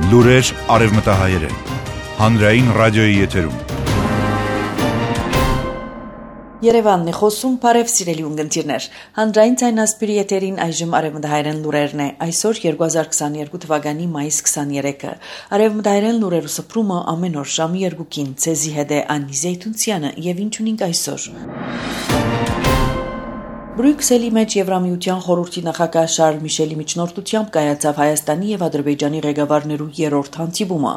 Լուրեր արևմտահայերեն, հանրային ռադիոյի եթերում։ Երևանն է խոսում, բարև սիրելի ունգընտիրներ, հանրային ցայնասպիրի եթերին այժմ արևմտահայերեն լուրերն է, այսօր 2022 թվականի մայիս 23-ը, արևմտահայերեն լուրերու սփռումը ամեն օր ժամի 2-ին, ցեզի հետ է Անի Զեյթունցյանը եւ ինչ ունենք այսօր։ Բրյուսելի մեջ Եվրամիության խորհրդի նախագահ Շարլ Միշելի միջնորդությամբ կայացավ Հայաստանի եւ Ադրբեջանի ղեկավարներու երրորդ հանդիպումը։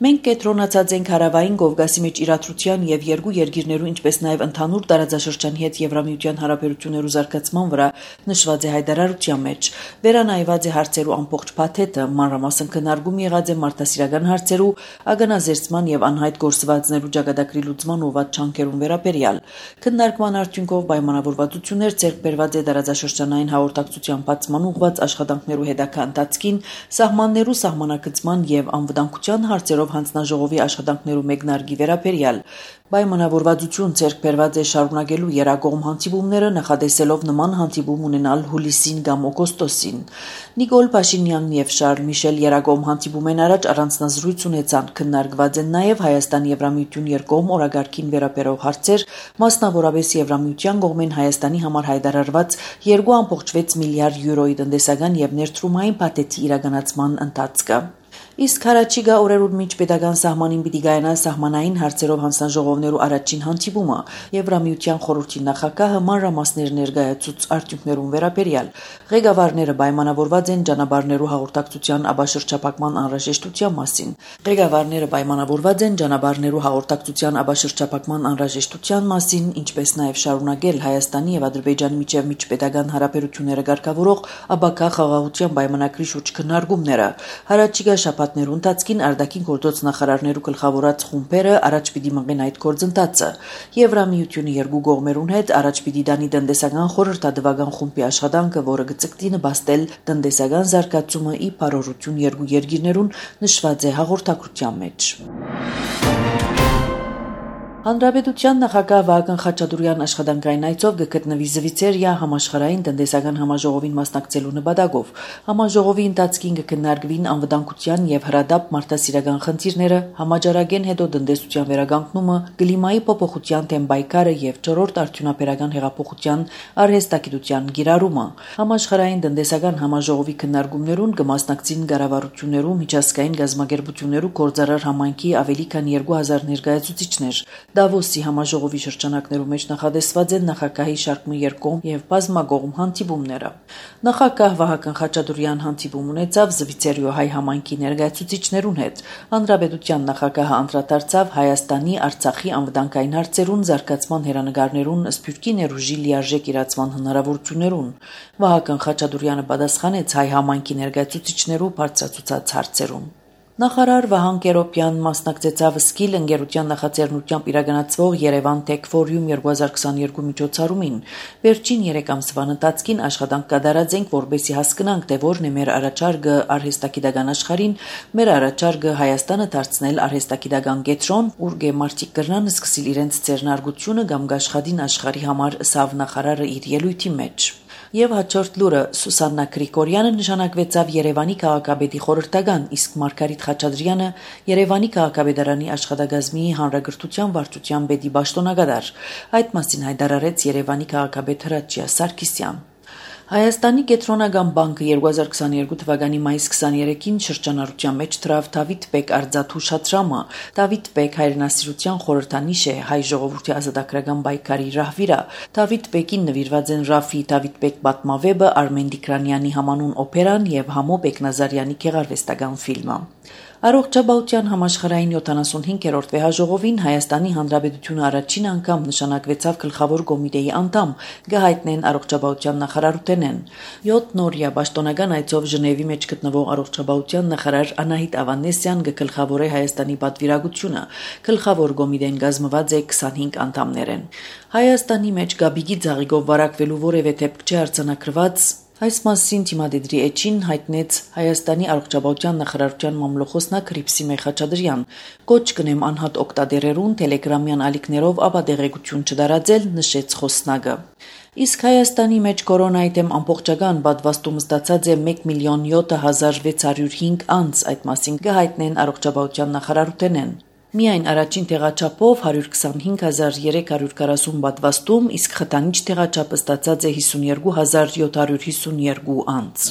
Մենք կենտրոնացած ենք հարավային Կովկասի մեջ իրադրության եւ երկու երկիրներու, ինչպես նաեւ ընդհանուր տարածաշրջանի հետ Եվրամիության հարաբերություններու զարգացման վրա նշված է հայտարարության մեջ։ Վերանայված է հարցերու ամբողջ փաթեթը, մանրամասն քննարկում եղած է մարդասիրական հարցերու, ագանազերծման եւ անհայտ գործվածներու ճակատագրի լուծման ուղղված չանքերուն վերաբերյալ։ Քննարկման արդյունքով պայմանավորվածություններ ցերկ բերված է դարաձաշրջանային հաղորդակցության բացման ուղղված աշխատանքներու հետագա ընթացքին, սահմաններու սահմանակցման եւ անվտանգության հարցերով հանձնաժողովի աշխատանքներու մեկնարկի վերաբերյալ։ Պայմանավորվածություն ցերկ բերված է շարունակելու երակողմ հանդիպումները, նախադեсելով նման հանդիպում ունենալ հուլիսին կամ օգոստոսին։ Նիկոլ Փաշինյանն եւ Շարլ Միշել երակողմ հանդիպումեն առաջ առանձնազրույց ունեցան, քննարկված են նաեւ Հայաստան-Եվրամիություն երկկողմ օրագարկին վերաբերող հարցեր, մասնավորապես Եվրամիության կողմեն Հայաստանի համար հայտարարված 2.6 միլիարդ յուրոյի տնտեսական եւ ներդրումային փաթեթի իրականացման ընթացքը։ Իսկ հարաճիգա օրերուն միջ պետական սահմանին պիտի գայանա սահմանային հարցերով հանձնաժողովներու առաջին հանդիպումը, Եվրամիության խորհրդի նախագահը մանրամասներ ներկայացուց արդյունքներուն վերաբերյալ։ Ղեկավարները պայմանավորված են ճանապարհներու հաղորդակցության աբաշրջափակման անհրաժեշտության մասին։ Ղեկավարները պայմանավորված են ճանապարհներու հաղորդակցության աբաշրջափակման անհրաժեշտության մասին, ինչպես նաև շարունակել Հայաստանի եւ Ադրբեջանի միջև միջպետական հարաբերությունները ղեկավարող աբակա խաղաղության պայմանագրի շուրջ քննարկումները։ Հարաճիգա շաբաթներու ընթացքին արտաքին գործոց նախարարներու գլխավորած խումբերը առաջ պիտի մղեն այդ գործընթացը։ Եվրամիությունը երկու կողմերուն հետ առաջ պիտի դանի տնտեսական խորհրդատվական խումբի աշխատանքը, որը գծկտի նպաստել տնտեսական զարգացումը ի բարօրություն երկու երկիրներուն, նշված է հաղորդակցության մեջ։ Հանրապետության նախագահ Վահագն Խաչատուրյան աշխատանքային այցով գտնվի Զվիցերիա համաշխարհային տնտեսական համաժողովին մասնակցելու նպատակով։ Համաժողովի ընթացքին կքննարկվին անվտանգության եւ հրադապ մարդասիրական խնդիրները, համաճարակեն հետո տնտեսության վերականգնումը, կլիմայի փոփոխության թեմ պայքարը եւ չորրորդ արդյունաբերական հեղափոխության արհեստագիտության գիրառումը։ Համաշխարհային տնտեսական համաժողովի քննարկումներուն կմասնակցին կառավարություններու, միջազգային գազམ་ագերբություններու գործարար համայնքի ավելի քան 2000 ներկայացուցիչներ։ Դավոսի համաժողովի շրջանակներու մեջ նախադեсված են նախագահի շարք երկկողմ եւ բազմակողմ հանդիպումները։ Նախագահ Վահագն Խաչատուրյան հանդիպում ունեցավ Զվիցերիո հայ համայնքի ներկայացուցիչներուն հետ։ Հանրապետության նախագահը անդրադարձավ Հայաստանի, Արցախի անվտանգային հարցերուն, զարգացման հերանեկարներուն, սփյուռքի ներուժի լիարժեք իրացման հնարավորություններուն։ Վահագն Խաչատուրյանը պատասխանեց հայ համայնքի ներկայացուցիչներու բարձրացուցած հարցերուն։ Նախարար Վահան Կերոպյան մասնակցեցավ Սկիլ ընկերության նախաձեռնությամբ իրականացվող Երևան Tech Forum 2022 միջոցառումին։ Վերջին 3 ամսվա ընթացքին աշխատանք կատարած ենք, որպեսզի հասկանանք, թե որն է մեր առաջարկը արհեստագիտական աշխարհին, մեր առաջարկը Հայաստանը դարձնել արհեստագիտական կենտրոն, ուր մարդիկ կրնան սկսել իրենց ձեռնարկությունը կամ աշխատին աշխարհի համար, սավ նախարարը իր ելույթի մեջ։ Եվ հաջորդ լուրը Սուսաննա Գրիգորյանը նշանակվեցավ Երևանի քաղաքապետի խորհրդական, իսկ Մարգարիտ Խաչատրյանը Երևանի քաղաքապետարանի աշխատակազմի հանրագրթության վարչության պետի պաշտոնակատար։ Այդ մասին հայտարարեց Երևանի քաղաքապետ Հրաչյա Սարգսյան։ Հայաստանի կենտրոնական բանկը 2022 թվականի մայիս 23-ին շրջանառության մեջ դրավ Դավիթ Բեկ արձաթուշատրամը։ Դավիթ Բեկ հայրենասիրության խորհրդանիշ է հայ ժողովրդի ազատագրական պայքարի ռահվիրա։ Դավիթ Բեկին նվիրված են Ռաֆի Դավիթ Բեկ պատմավեպը, Արմեն Դիկրանյանի համանուն օպերան եւ Համո Բեկնազարյանի գեղարվեստական ֆիլմը։ Առողջապահության համաշխարհային 75-րդ վեհաժողովին Հայաստանի Հանրապետությունը առաջին անգամ նշանակվեցավ գլխավոր կոմիտեի անդամ, գահիտնեն առողջապահության նախարարութենեն։ 7 նորյա պաշտոնական այցով Ժնևի մեջ գտնվող առողջապահության նախարար Անահիտ Ավանեսյան գլխավորե Հայաստանի պատվիրակությունը։ Գլխավոր կոմիտեն կազմված է 25 անդամներեն։ Հայաստանի մեջ գաբիգի ծաղիկով վարակվելու որևէ դեպք չի արձանագրված։ Այս մասին թիմադեդրի էջին հայտնեց Հայաստանի առողջապահության նախարարության մամլոխոսնակ Հռիփսիմե Խաչատրյան։ Կոչ կնեմ անհատ օգտադերերուն տելեգրամյան ալիքներով ապադեղեցություն չդարաձել, նշեց խոսնակը։ Իսկ Հայաստանի մեջ կորոնայի դեմ ամբողջական պատվաստում ստացած է 1,07,605 անց, այդ մասին կհայտնեն առողջապահության նախարարութենեն։ Միայն առաջին տեղաչափով 125,340 պատվաստում, իսկ խտանիչ տեղաչափը ստացած է 52,752 անց։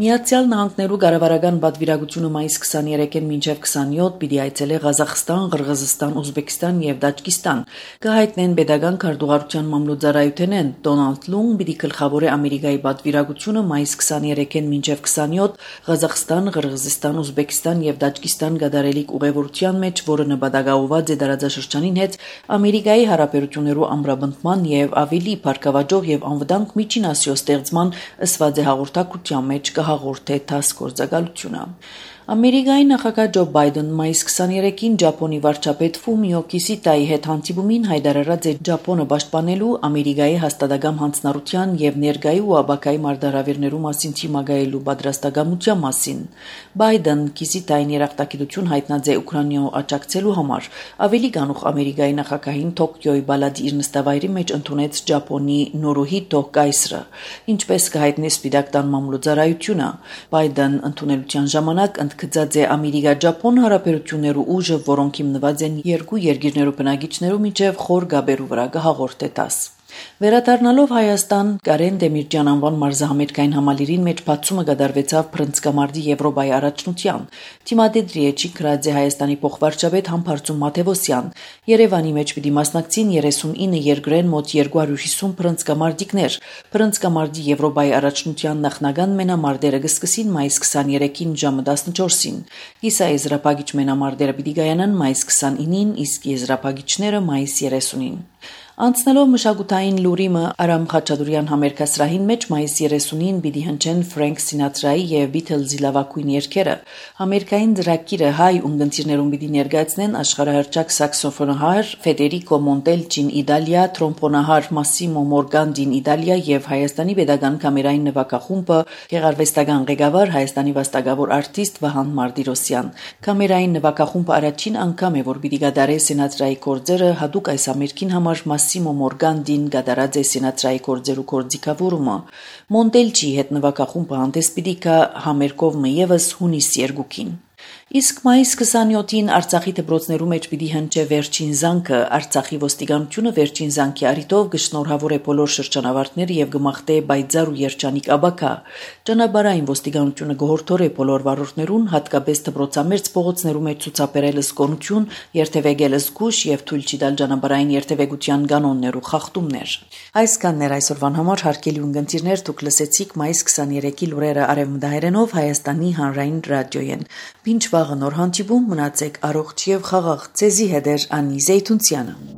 Միացյալ Նահանգներու կառավարական պատվիրակությունը մայիս 23-ին մինչև 27 պիտի այցելե Ղազախստան, Ղրղզստան, Ուզբեկստան եւ Տաջիկստան։ Կհայտնեն pedagogan քարտուղարության մամլոյցարայութենեն Դոնալդ Լուն պիտի գլխավորե Ամերիկայի պատվիրակությունը մայիս 23-ին մինչև 27 Ղազախստան, Ղրղզստան, Ուզբեկստան եւ Տաջիկստան գդարելիք ուղևորության մեջ, որը նպատակաուված է դարաձաշրջանին հետ Ամերիկայի հարաբերություններու ամրապնդման եւ ավելի բարգավաճող եւ անվտանգ միջինասիո ստեղծման ըսված է հաղորդակցության մեջ հաղորդե ՏԱՍՍ գործակալությունը։ Ամերիկայի նախագահ Ջո Բայդեն մայիս 23-ին Ճապոնի վարչապետ Ֆումիո Կիսիտայի հետ հանդիպումին հայտարարած է Ճապոնը պաշտպանելու Ամերիկայի հաստատակամ հանձնառության եւ ներկայի ու աբակայի մարտահրավերներու մասին թիմագայելու պատրաստակամության մասին։ Բայդեն Կիսիտային երախտագիտություն հայտնած է Ուկրաինայով աջակցելու համար։ Ավելի գանուխ Ամերիկայի նախագահին Տոկիոյի բալադի իր նստավայրի մեջ ընդունեց Ճապոնի Նորոհիտո կայսրը, ինչպես կհայտնի Սպիտակ տան մամլոյցարայությունը։ Բայդեն ընդունելության ժամանակ գծած է Ամերիկա-Ճապոն հարաբերություններու ուժը, որոնք հիմնված են երկու երկիրներու բնակիչներու միջև խոր գաբերու վրա կհաղորդե ՏԱՍՍ։ Վերադառնալով Հայաստան, Կարեն Դեմիրճյան անվան մարզահամերգային համալիրին մեջ բացումը կատարվեցավ Փրնցկամարտի Եվրոպայի առաջնության։ Թիմադեդրի էջի գրած է Հայաստանի փոխվարչապետ Համբարձում Մաթևոսյան։ Երևանի մեջ պիտի մասնակցին 39 երկրեն մոտ 250 փրնցկամարտիկներ։ Փրնցկամարտի Եվրոպայի առաջնության նախնական մենամարտերը կսկսին մայիս 23-ին ժամը 14-ին։ Իսկ եզրափակիչ մենամարտերը պիտի կայանան մայիս 29-ին, իսկ եզրափակիչները մայիս 30-ին։ Անցնելով մշակութային լուրիմը Արամ Խաչատրյան համերգասրահին մեջ մայիս 30-ին պիտի հնչեն Ֆրենք Սինատրայի եւ Բիթլզի լավագույն երգերը։ Համերգային ծրագիրը հայ ունգընտիրներուն պիտի ներկայացնեն աշխարհահռչակ սաքսոֆոնահար Ֆեդերիկո Մոնտելչին Իտալիա, տրոմբոնահար Մասսիմո Մորգանդին Իտալիա եւ Հայաստանի pedagogan կամերային նվագախումբը գեղարվեստական ղեկավար Հայաստանի վաստակավոր արտիստ Վահան Մարտիրոսյան։ Կամերային նվագախումբը առաջին անգամ է, որ պիտի գդարե Սինատրայի կորձերը հadoop այս համերգին համար Մասսիմո Մորգանդին գդարած է Սինատրայի կորձերու կորձիկավորումը։ Մոնտելչի հետ նվագախումբը հանդես պիտի գա համերգով եւս հունիս 2-ին։ Իսկ մայիս 27-ին Արցախի դպրոցներու մեջ պիտի հնչե վերջին զանգը։ Արցախի ոստիկանությունը վերջին զանգի առիթով կշնորհավոր է բոլոր շրջանավարտները եւ կմաղթե բայձար ու երջանիկ աբակա։ Ճանապարհային ոստիկանությունը կհորդորե բոլոր վարորդներուն, հատկապես դպրոցամերձ փողոցներու մեջ ցուցաբերել զգոնություն, երթևեկել զգուշ եւ թույլ չտալ ճանապարհային երթևեկության կանոններու խախտումներ։ Այսքաններ այսօրվան համար հարգելի ունգընտիրներ, դուք լսեցիք մայիս 23-ի լուրերը արևմտահայերենով Հայաստանի հանրային ռադիոյեն։ Ինչ վաղը նոր հանդիպում, մնացեք առողջ եւ խաղաղ։ Ձեզի հետ է Անի Զեյթունցյանը։